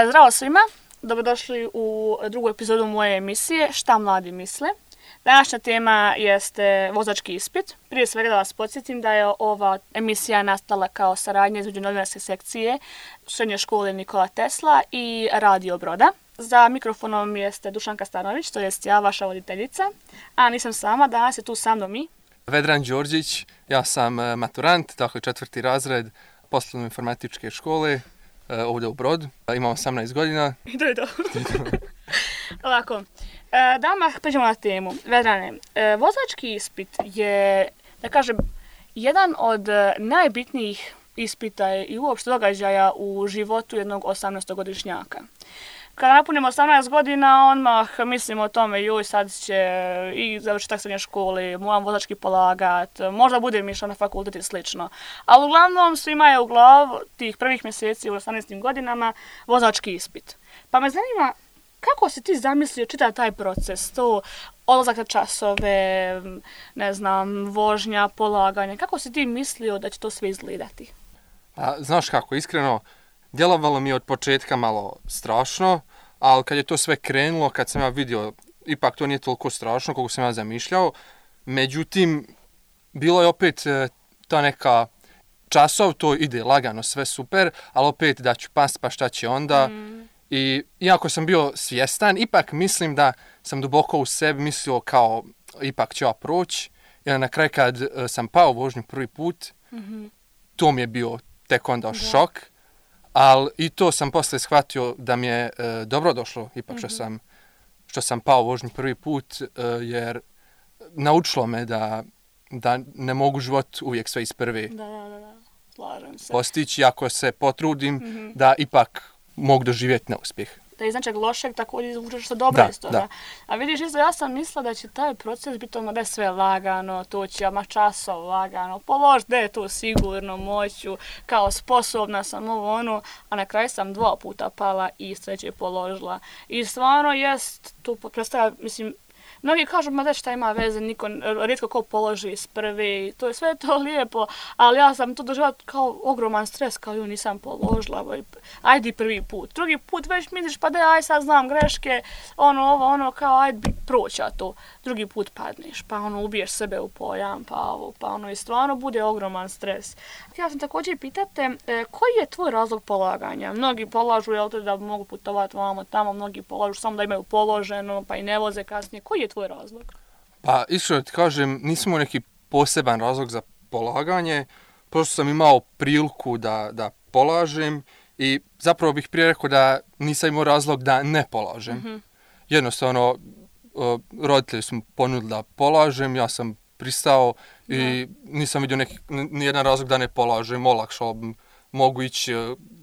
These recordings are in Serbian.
Zdravo svima, dobrodošli u drugu epizodu moje emisije Šta mladi misle. Današnja tema jeste vozački ispit. Prije svega da vas podsjetim da je ova emisija nastala kao saradnja između novinarske sekcije Srednje škole Nikola Tesla i Radio Broda. Za mikrofonom jeste Dušanka Stanović, to jest ja, vaša voditeljica, a nisam sama, danas je tu sa mnom i Vedran Đorđić, ja sam maturant, dakle 4. razred poslovno-informatičke škole ovdje u Brodu. Imam 18 godina. I to je to. Ovako, da odmah pređemo na temu. Vedrane, vozački ispit je, da kažem, jedan od najbitnijih ispita i uopšte događaja u životu jednog 18-godišnjaka. Kada napunimo 18 godina, odmah mislimo o tome, joj sad će i završiti srednje škole, moram vozački polagat, možda budem išao na fakultet i slično. Ali uglavnom svima je u glavu tih prvih mjeseci u 18 godinama vozački ispit. Pa me zanima, kako si ti zamislio čitav taj proces, to odlazak na časove, ne znam, vožnja, polaganje, kako si ti mislio da će to sve izgledati? Pa, znaš kako, iskreno, djelovalo mi je od početka malo strašno, ali kad je to sve krenulo, kad sam ja vidio, ipak to nije toliko strašno koliko sam ja zamišljao. Međutim, bilo je opet ta neka časov, to ide lagano, sve super, ali opet da ću past, pa šta će onda. I iako sam bio svjestan, ipak mislim da sam duboko u sebi mislio kao ipak ću ja proći. I na kraju kad sam pao vožnju prvi put, to mi je bio tek onda šok. Ali i to sam posle shvatio da mi je dobro došlo, ipak što sam pao vožnju prvi put, jer naučilo me da ne mogu život uvijek sve iz prve Slažem se. postići, ako se potrudim da ipak mogu doživjeti neuspjeh. Da iz nečeg lošeg također izvučeš što dobro iz toga. Da. A vidiš, isto ja sam mislila da će taj proces biti ono da je sve lagano, to će ama časov lagano, položiti da je to sigurno, moću, kao sposobna sam ovo ono, a na kraju sam 2 puta pala i sreće položila. I stvarno jest, tu predstavlja, mislim, mnogi kažu, ma da šta ima veze, rijetko ko položi iz prve, to je sve to lijepo, ali ja sam to doživjela kao ogroman stres, kao ju nisam položila, ajde prvi put. Drugi put već misliš, pa da aj sad znam greške, kao ajde proći to. Drugi put padneš, pa ubiješ sebe u pojam, pa i stvarno bude ogroman stres. Ja sam također pitate, koji je tvoj razlog polaganja? Mnogi polažu, da mogu putovati vamo tamo, mnogi polažu samo da imaju položeno, pa i ne voze kasnije. Koji je tvoj razlog? Pa iskreno ti kažem, nisam imao neki poseban razlog za polaganje, prosto sam imao priliku da polažem i zapravo bih prije rekao da nisam imao razlog da ne polažem. Jednostavno, roditelji su ponudili da polažem, ja sam pristao i nisam vidio nijedan razlog da ne polažem, olakšao mogu ići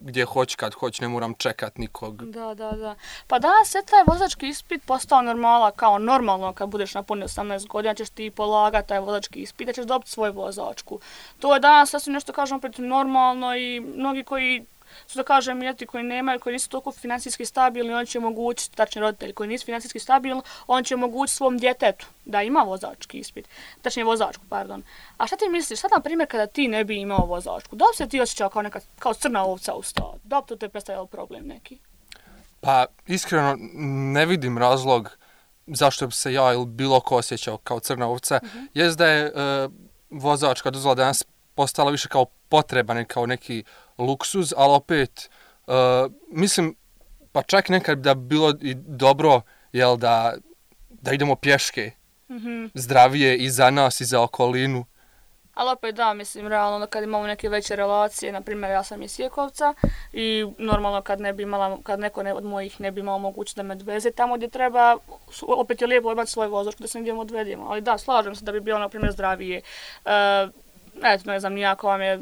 gdje hoću, kad hoću, ne moram čekat nikog. Da. Pa danas je taj vozački ispit postao normala, kao normalno kad budeš napunio 18 godina ćeš ti polagati taj vozački ispit, da ćeš dobiti svoju vozačku. To je danas sasvim nešto kažem opet normalno i mnogi koji su da kažem koji nemaju, koji nisu toliko financijski stabilni, oni će omogućiti, tačnije roditelji koji nisu financijski stabilni, on će omogućiti svom djetetu da ima vozački ispit, tačnije vozačku, pardon. A šta ti misliš, sad na primjer kada ti ne bi imao vozačku, da li se ti osjećao kao crna ovca u stadu? Da li to te predstavljalo problem neki? Pa iskreno ne vidim razlog zašto bi se ja ili bilo ko osjećao kao crna ovca. Jest da je vozačka dozvola danas postala više kao potreba, ne kao neki luksuz, ali opet mislim, pa čak nekad da bi bilo i dobro da idemo pješke, zdravije i za nas i za okolinu. Ali opet da, mislim, realno kad imamo neke veće relacije, na primjer ja sam iz Sjekovca i normalno kad neko od mojih ne bi imao mogućnost da me odveze tamo gdje treba, opet je lijepo imati svoj vozačku da se negdje odvedemo. Ali da, slažem se da bi bilo na primjer zdravije. Ne znam, nijako vam je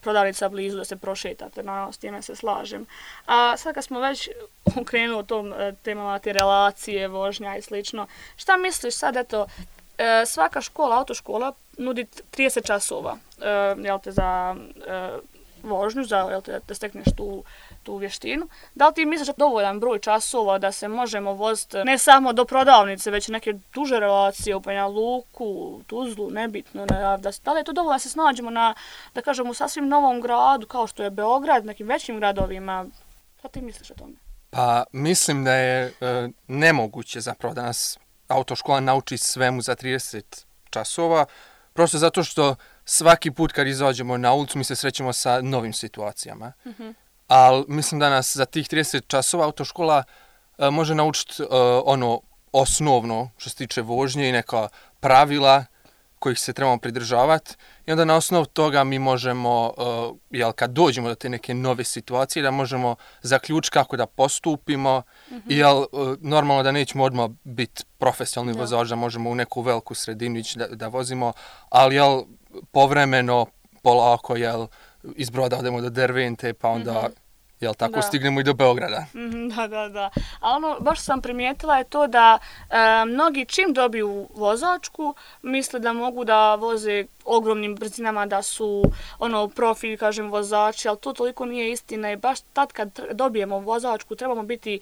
prodavnica blizu da se prošetate, naravno s time se slažem. A sad kad smo već krenuli o tom temama te relacije, vožnja i slično, šta misliš sad, svaka škola, autoškola nudi 30 časova za vožnju, da stekneš tu vještinu. Da li ti misliš da je dovoljan broj časova da se možemo voziti ne samo do prodavnice, već neke duže relacije u Banja Luku, Tuzlu, nebitno. Da li je to dovoljno da se snađemo na, da kažem, u sasvim novom gradu kao što je Beograd, nekim većim gradovima? Šta ti misliš o tome? Pa mislim da je nemoguće zapravo da nas autoškola nauči svemu za 30 časova, prosto zato što svaki put kad izađemo na ulicu mi se srećemo sa novim situacijama. Ali mislim da nas za tih 30 časova autoškola može naučiti ono osnovno što se tiče vožnje i neka pravila kojih se trebamo pridržavati i onda na osnovu toga mi možemo, kad dođemo do te neke nove situacije, da možemo zaključiti kako da postupimo i normalno da nećemo odmah biti profesionalni vozač, da možemo u neku veliku sredinu ići da vozimo, ali povremeno, polako, iz Broda odemo do Dervente, pa onda tako stignemo i do Beograda. Da. A baš sam primijetila je to da mnogi čim dobiju vozačku, misle da mogu da voze ogromnim brzinama, da su profi, kažem, vozači, ali to toliko nije istina i baš tad kad dobijemo vozačku trebamo biti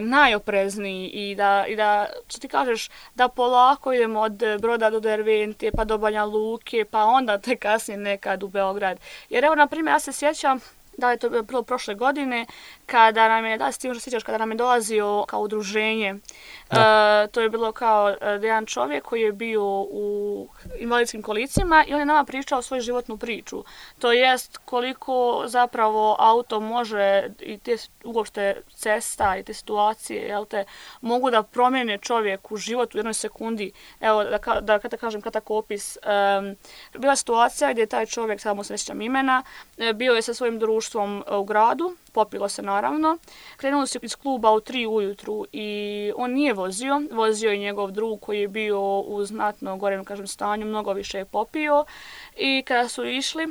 najoprezniji i da, što ti kažeš, da polako idemo od Broda do Dervente, pa do Banja Luke, pa onda te kasnije nekad u Beograd. Jer evo, na primjer, ja se sjećam da je to bilo prošle godine, kada nam je, kada nam je dolazio kao udruženje. To je bilo kao jedan čovjek koji je bio u invalidskim kolicima i on je nama pričao svoju životnu priču. To jest koliko zapravo auto može i te uopšte cesta i te situacije mogu da promijene čovjek u život u jednoj sekundi. Evo, da kažem kratak opis. Bila situacija gdje je taj čovjek, samo se ne sjećam imena, bio je sa svojim društvom u gradu, popilo se naravno. Krenuli su iz kluba u 3 ujutru i on nije vozio je njegov drug koji je bio u znatno gorem, stanju, mnogo više je popio i kada su išli,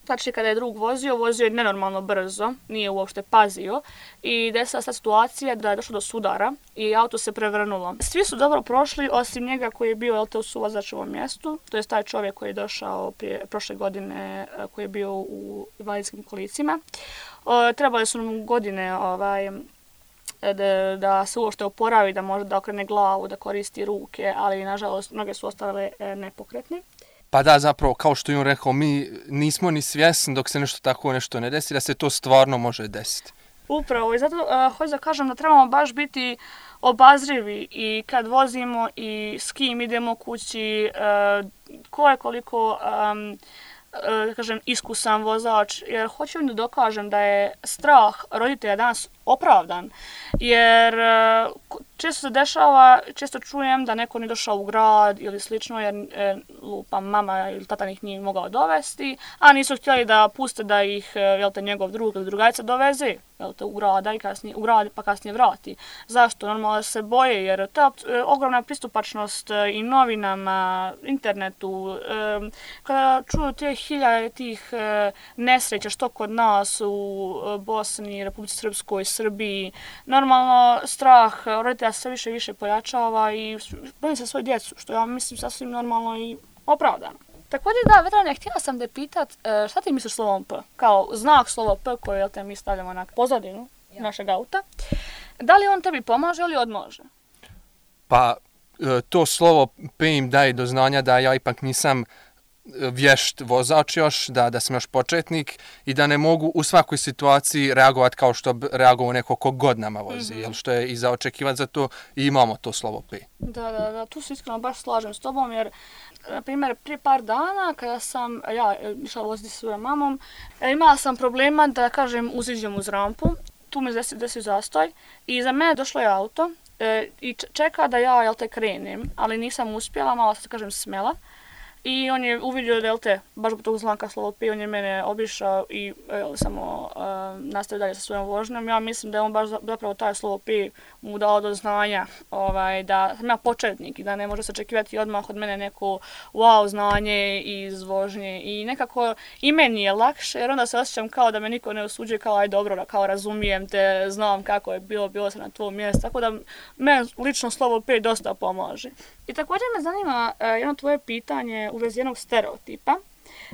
znači kada je drug vozio je nenormalno brzo, nije uopšte pazio i desila se situacija da je došlo do sudara i auto se prevrnulo. Svi su dobro prošli osim njega koji je bio u suvozačevom mjestu, to je taj čovjek koji je došao prošle godine koji je bio u invalidskim kolicima. Trebali su mu godine da se uopšte oporavi, da može da okrene glavu, da koristi ruke, ali nažalost mnoge su ostale nepokretni. Pa da, zapravo, kao što je on rekao, mi nismo ni svjesni dok se nešto ne desi, da se to stvarno može desiti. Upravo, i zato hoću da kažem da trebamo baš biti obazrivi i kad vozimo i s kim idemo kući, ko je koliko iskusan vozač, jer hoću da dokažem da je strah roditelja danas opravdan, jer često se dešava, često čujem da neko nije došao u grad ili slično, jer mama ili tata ih nije mogao dovesti, a nisu htjeli da puste da ih njegov drug ili drugarica doveze u grad pa kasnije vrati. Zašto? Normalno se boje, jer ta ogromna pristupačnost i novinama, internetu, kada čuju te hiljade tih nesreća što kod nas u Bosni, Republici Srpskoj, Srbiji, normalno strah roditelja sve više i više pojačava i bojim se svoju djecu, što ja mislim sasvim normalno i opravdano. Također da, Vedrane, htjela sam te pitat, šta ti misliš slovom P? Kao znak slovo P koje mi stavljamo na pozadinu našeg auta. Da li on tebi pomaže ili odmože? Pa, to slovo P im daje do znanja da ja ipak nisam vješt vozač još, da sam još početnik i da ne mogu u svakoj situaciji reagovati kao što bi reagovao neko ko god nama vozi, jer što je i za očekivati za to i imamo to slovo P. Da, tu se iskreno baš slažem s tobom, jer na primjer, prije par dana kada sam išla voziti sa svojom mamom, imala sam problema da kažem uziđem uz rampu, tu me desio zastoj i za mene došlo je auto i čeka da ja krenem, ali nisam uspjela, malo se kažem smela. I on je uvidio da baš zbog tog znaka slovo P, on je mene obišao i samo nastavio dalje sa svojom vožnjom. Ja mislim da je on baš zapravo taj slovo P mu dao do znanja da sam ja početnik i da ne može se očekivati odmah od mene neko wow znanje iz vožnje. I nekako i meni je lakše jer onda se osjećam kao da me niko ne osuđuje, kao aj dobro, kao razumijem te, znam kako je bilo sam na tvojom mjestu. Tako da meni lično slovo P dosta pomaže. I također me zanima jedno tvoje pitanje u vezi jednog stereotipa.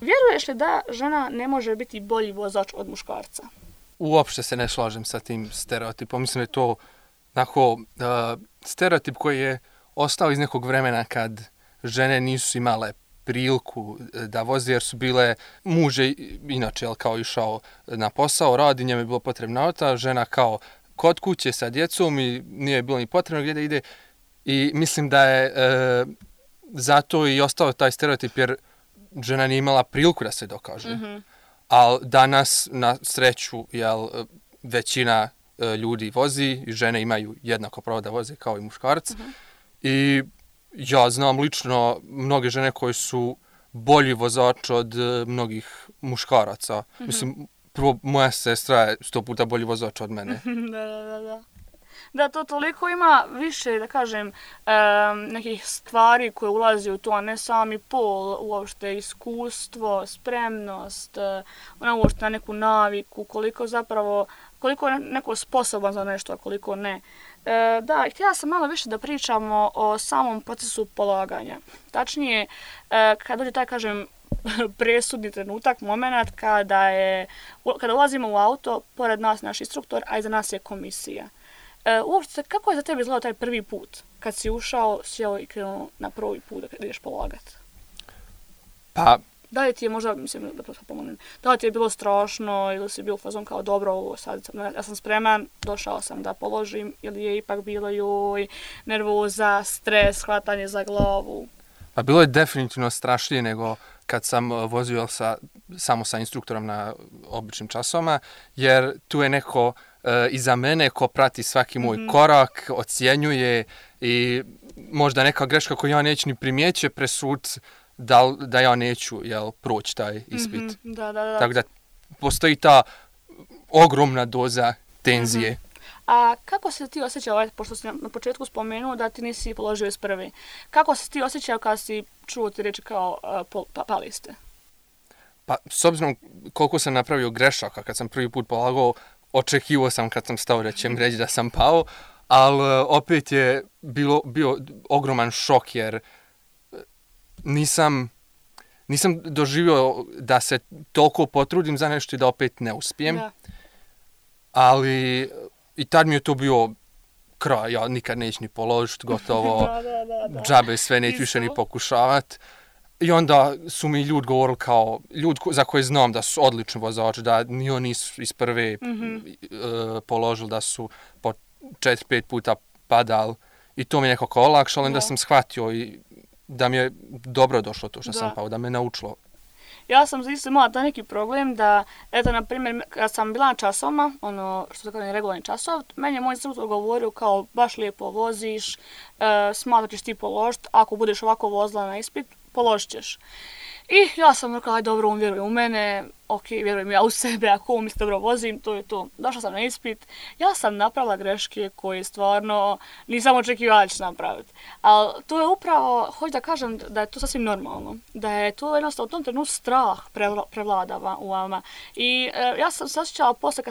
Vjeruješ li da žena ne može biti bolji vozač od muškarca? Uopšte se ne slažem sa tim stereotipom. Mislim da je to stereotip koji je ostao iz nekog vremena kad žene nisu imale priliku da voze jer su bile muže inače kao išao na posao, radi, njemu je bilo potrebna auta, žena kao kod kuće sa djecom i nije bilo ni potrebno gdje da ide i mislim da je zato i ostao taj stereotip jer žena nije imala priliku da se dokaže. Ali danas na sreću većina ljudi vozi i žene imaju jednako pravo da voze kao i muškarci. I ja znam lično mnoge žene koje su bolji vozač od mnogih muškaraca. Mislim, prvo moja sestra je 100 puta bolji vozač od mene. Da. Da, to toliko ima više, da kažem, nekih stvari koje ulazi u to, a ne sami pol, uopšte iskustvo, spremnost, uopšte na neku naviku, koliko je neko sposoban za nešto, a koliko ne. Da, htjela sam malo više da pričamo o samom procesu polaganja. Tačnije, kad dođe taj, kažem, presudni trenutak, moment kada ulazimo u auto, pored nas naš instruktor, a iza nas je komisija. Uopšte, kako je za tebe izgledao taj prvi put? Kad si ušao, sjeo i krenuo na prvi put da ideš polagat? Pa... Da li ti je možda, mislim da pomonem, da li ti je bilo strašno ili si bio u fazon kao dobro, sad ja sam spreman, došao sam da položim ili je ipak bilo joj, nervoza, stres, hvatanje za glavu? Pa bilo je definitivno strašnije nego kad sam vozio samo sa instruktorom na običnim časovima, jer tu je neko iza mene ko prati svaki moj korak, ocjenjuje i možda neka greška koju ja neću ni primijeći presud da ja neću proći taj ispit. Da. Tako da postoji ta ogromna doza tenzije. A kako se ti osjećao, pošto si na početku spomenuo da ti nisi položio iz prvi, kako se ti osjećao kad si čuo ti reći kao pali ste? Pa s obzirom koliko sam napravio grešaka kad sam prvi put polagao, očekivao sam kad sam stao da će mi reći da sam pao, ali opet je bio ogroman šok jer nisam doživio da se toliko potrudim za nešto i da opet ne uspijem. Da. Ali i tad mi je to bio kraj, ja nikad neću ni položiti, gotovo, džabe sve neću više ni pokušavati. I onda su mi ljudi govorili kao, ljudi za koje znam da su odlični vozači, da ni oni nisu iz prve položili, da su po 4-5 puta padali. I to mi je nekako olakšalo, onda sam shvatio i da mi je dobro došlo to što sam pao, da me naučilo. Ja sam isto imala taj neki problem da, eto, na primjer, kad sam bila na časovima, što se kaže regularni časov, meni je moj instruktor govorio kao, baš lijepo voziš, smatrat ćeš ti položiti, ako budeš ovako vozila na ispit, položit ćeš. I ja sam rekla, aj dobro, on vjeruje u mene, ok, vjerujem ja u sebe, ako on misli dobro vozim, to je to. Došla sam na ispit, ja sam napravila greške koje stvarno nisam očekivala da ću napraviti. Ali to je upravo, hoću da kažem da je to sasvim normalno, da je to jednostavno u tom trenutku strah prevladava u vama. I ja sam se osjećala posle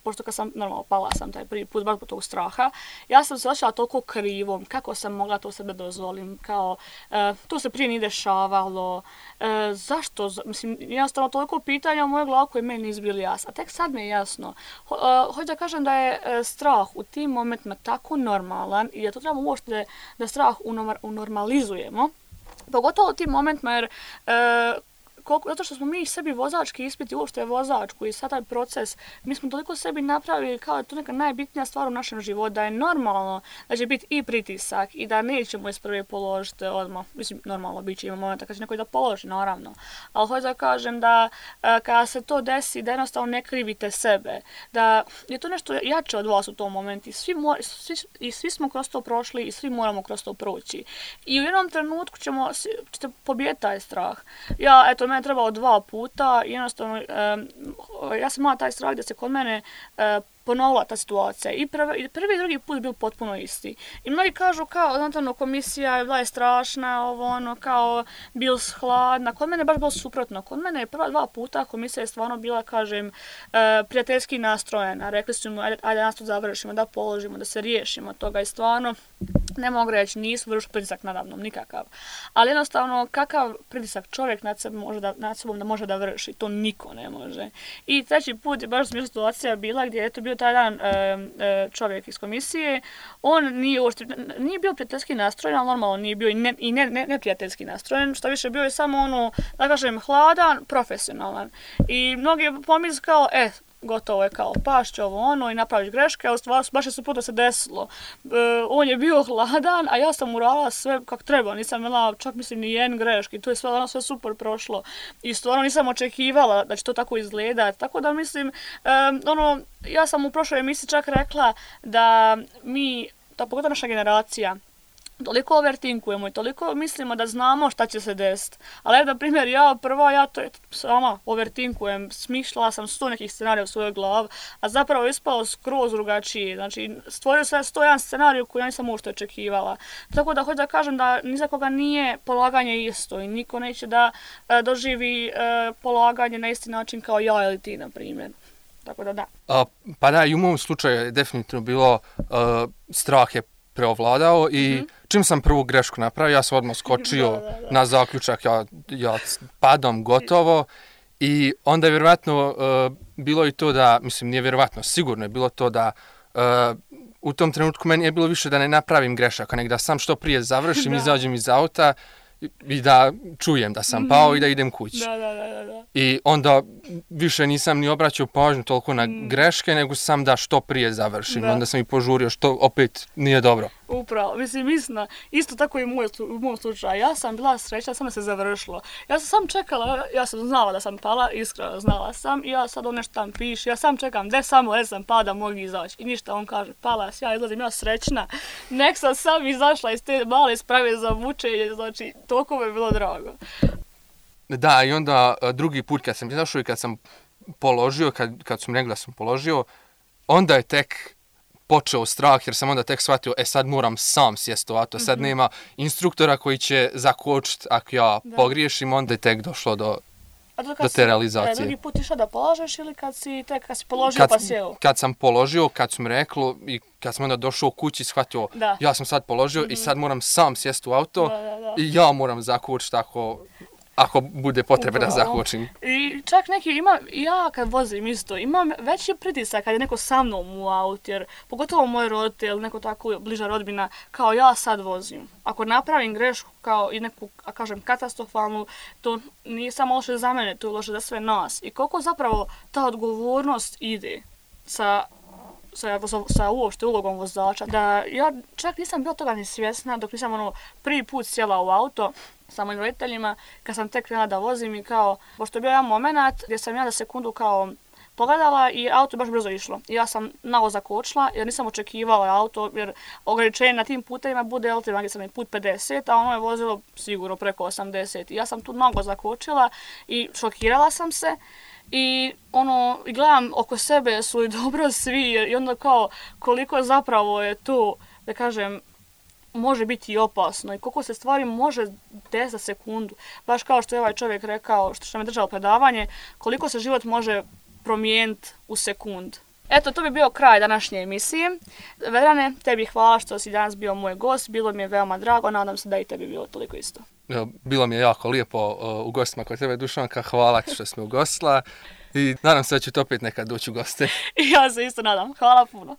pošto kad sam normalno pala sam taj prvi put baš po tog straha, ja sam se osjećala toliko krivom, kako sam mogla to sebe dozvolim, kao to se prije nije dešavalo, zašto, mislim, jednostavno toliko pitanja u mojoj glavi koje meni nisu bili jasne. A tek sad mi je jasno. Hoću da kažem da je strah u tim momentima tako normalan i da to trebamo uopšte da strah unormalizujemo. Pogotovo u tim momentima jer zato što smo mi sebi vozački ispiti, uopšte vozačku i sad taj proces, mi smo toliko sebi napravili kao da je to neka najbitnija stvar u našem životu, da je normalno da će biti i pritisak i da nećemo iz prve položiti odmah. Mislim, normalno bit će ima momenta kad će neko da položi, naravno. Ali hoću da kažem da kada se to desi, da jednostavno ne krivite sebe, da je to nešto jače od vas u tom momentu i svi smo kroz to prošli i svi moramo kroz to proći. I u jednom trenutku ćete pobijediti taj strah. Mene trebalo 2 puta, jednostavno, ja sam imala taj strah da se kod mene ponovila ta situacija. I prvi i drugi put bio potpuno isti. I mnogi kažu kao, znatno, komisija je bila strašna, kao bil hladna. Kod mene je baš bilo suprotno. Kod mene je prva 2 puta komisija je stvarno bila, kažem, prijateljski nastrojena. Rekli su mu, ajde nas to završimo, da položimo, da se riješimo toga i stvarno. ne mogu reći, nisu vršili pritisak nadamnom, nikakav. Ali jednostavno, kakav pritisak čovjek nad sobom da može da vrši, to niko ne može. I treći put je baš smiješna situacija bila gdje je to bio taj dan čovjek iz komisije. On nije bio prijateljski nastrojen, ali normalno nije bio i neprijateljski nastrojen. Što više, bio je samo da kažem, hladan, profesionalan. I mnogi pomisli kao, gotovo je kao pašće ovo i napraviš greške, a u stvari baš je se puta se desilo. On je bio hladan, a ja sam uradila sve kako treba, nisam imala čak mislim ni jedan greški, to je sve super prošlo i stvarno nisam očekivala da će to tako izgledati, tako da mislim, ja sam u prošloj emisiji čak rekla da mi, pogotovo naša generacija, toliko overtinkujemo i toliko mislimo da znamo šta će se desiti. Ali na primjer, ja to sama overtinkujem, smišljala sam 100 nekih scenarija u svojoj glavi, a zapravo je ispalo skroz drugačije. Znači, stvorio sam 101 scenariju koji ja nisam uopšte očekivala. Tako da hoću da kažem da ni za koga nije polaganje isto i niko neće da doživi polaganje na isti način kao ja ili ti, na primjer. Tako da. Pa da, i u mom slučaju je definitivno bilo strah je preovladao i čim sam prvu grešku napravio, ja sam odmah skočio na zaključak, ja padam gotovo i onda je vjerovatno bilo i to da, mislim nije vjerovatno, sigurno je bilo to da u tom trenutku meni je bilo više da ne napravim grešaka, nego da sam što prije završim, izađem iz auta i da čujem da sam pao i da idem kući. Da. I onda više nisam ni obraćao pažnju toliko na greške, nego sam da što prije završim. Onda sam i požurio, što opet nije dobro. Upravo, mislim, isto tako i u mom slučaju. Ja sam bila srećna, samo se završilo. Ja sam sam čekala, ja sam znala da sam pala, iskreno znala sam i ja sad nešto tam piše, ja sam čekam, gdje sam pala da mogu izaći. I ništa, on kaže, pala, ja izlazim, ja srećna. Nek sam izašla iz te male sprave za vučenje, znači, toliko mi je bilo drago. Da, i onda drugi put kad sam izašao i kad sam položio, kad su mi rekli da sam položio, onda je tek počeo strah jer sam onda tek shvatio, sad moram sam sjesti u auto, sad nema instruktora koji će zakočiti ako ja pogriješim, onda je tek došlo do te realizacije. Drugi put išao da polažeš ili kad si položio pa sjeo? Kad sam položio, kad su mi rekli i kad sam onda došao u kući shvatio, ja sam sad položio i sad moram sam sjesti u auto i ja moram zakočiti ako bude potrebe da zakočim. I čak ja kad vozim isto, imam veći pritisak kad je neko sa mnom u autu, jer pogotovo moj roditelj ili neko tako bliža rodbina, kao ja sad vozim. Ako napravim grešku kao i neku, kažem, katastrofalnu, to nije samo loše za mene, to je loše za sve nas. I koliko zapravo ta odgovornost ide sa uopšte ulogom vozača, da ja čak nisam bila toga ni svjesna dok nisam prvi put sjela u auto sa mojim roditeljima, kad sam tek krenula da vozim i kao, pošto je bio jedan moment gdje sam ja za sekundu kao pogledala i auto je baš brzo išlo. I ja sam naglo zakočila jer nisam očekivala auto, jer ograničenje na tim putevima bude gdje sam je put 50, a ono je vozilo sigurno preko 80. I ja sam tu naglo zakočila i šokirala sam se. I gledam oko sebe su i dobro svi i onda kao koliko zapravo je to, da kažem, može biti i opasno i koliko se stvari može desiti za sekundu. Baš kao što je ovaj čovjek rekao, što me držalo predavanje, koliko se život može promijeniti u sekund. Eto, to bi bio kraj današnje emisije. Vedrane, tebi hvala što si danas bio moj gost, bilo mi je veoma drago, nadam se da i tebi bilo toliko isto. Bilo mi je jako lijepo u gostima kod tebe, Dušanka, hvala ti što si me ugostila i nadam se da ću opet nekad doći u goste. Ja se isto nadam, hvala puno.